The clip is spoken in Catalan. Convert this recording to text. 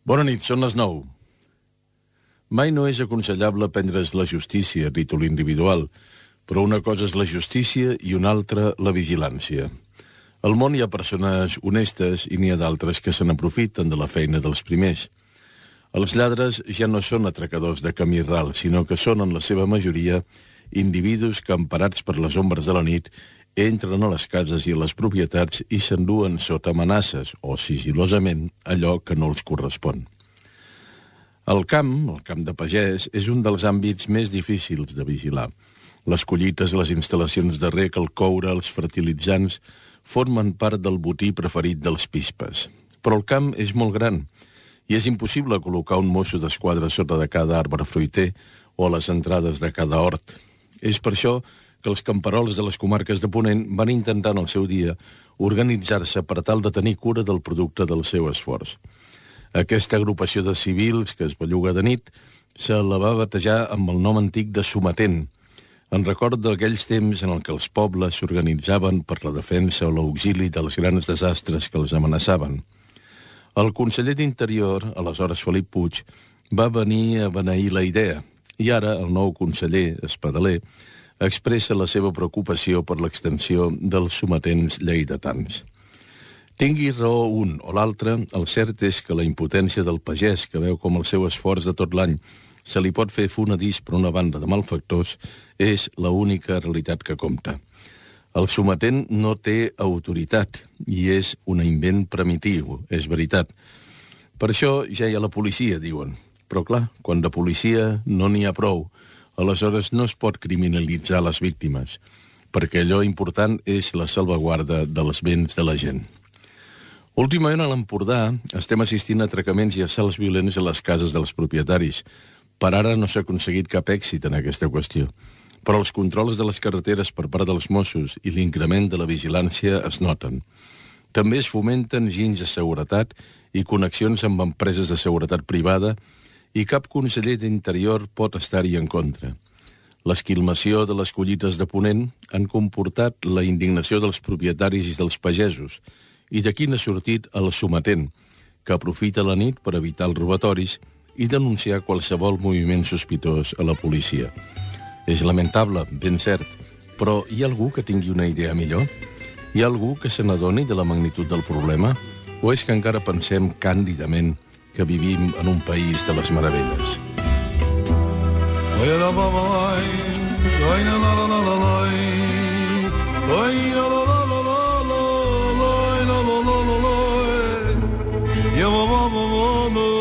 Bona nit, són les 9. Mai no és aconsellable prendre's la justícia a títol individual, però una cosa és la justícia i una altra la vigilància. Al món hi ha persones honestes i n'hi ha d'altres que se n'aprofiten de la feina dels primers. Els lladres ja no són atracadors de camí ral, sinó que són, en la seva majoria, individus que, emparats per les ombres de la nit, entren a les cases i a les propietats i s'enduen sota amenaces o sigilosament allò que no els correspon. El camp de pagès, és un dels àmbits més difícils de vigilar. Les collites, les instal·lacions de rec, el coure, els fertilitzants, formen part del botí preferit dels pispes. Però el camp és molt gran i és impossible col·locar un mosso d'esquadra sota de cada arbre fruiter o a les entrades de cada hort. És per això que els camperols de les comarques de Ponent van intentar en el seu dia organitzar-se per tal de tenir cura del producte del seu esforç. Aquesta agrupació de civils que es belluga de nit se la va batejar amb el nom antic de sometent, en record d'aquells temps en el que els pobles s'organitzaven per la defensa o l'auxili dels grans desastres que els amenaçaven. El conseller d'Interior, aleshores Felip Puig, va venir a beneir la idea, i ara el nou conseller, Espadaler, expressa la seva preocupació per l'extensió dels sometents lleidatans. Tingui raó un o l'altre, el cert és que la impotència del pagès, que veu com el seu esforç de tot l'any se li pot fer fonedís per una banda de malfactors, és l'única realitat que compta. El sometent no té autoritat i és un invent primitiu, és veritat. Per això ja hi ha la policia, diuen. Però clar, quan de policia no n'hi ha prou, aleshores no es pot criminalitzar les víctimes, perquè allò important és la salvaguarda dels béns de la gent. Últimament a l'Empordà estem assistint a atracaments i assalts violents a les cases dels propietaris. Per ara no s'ha aconseguit cap èxit en aquesta qüestió, però els controls de les carreteres per part dels Mossos i l'increment de la vigilància es noten. També es fomenten ginys de seguretat i connexions amb empreses de seguretat privada i cap conseller d'Interior pot estar-hi en contra. L'esquilmació de les collites de Ponent han comportat la indignació dels propietaris i dels pagesos, i d'aquí n'ha sortit el sometent, que aprofita la nit per evitar els robatoris i denunciar qualsevol moviment sospitós a la policia. És lamentable, ben cert, però hi ha algú que tingui una idea millor? Hi ha algú que se n'adoni de la magnitud del problema? O és que encara pensem càndidament que vivim en un país de les meravelles? Ya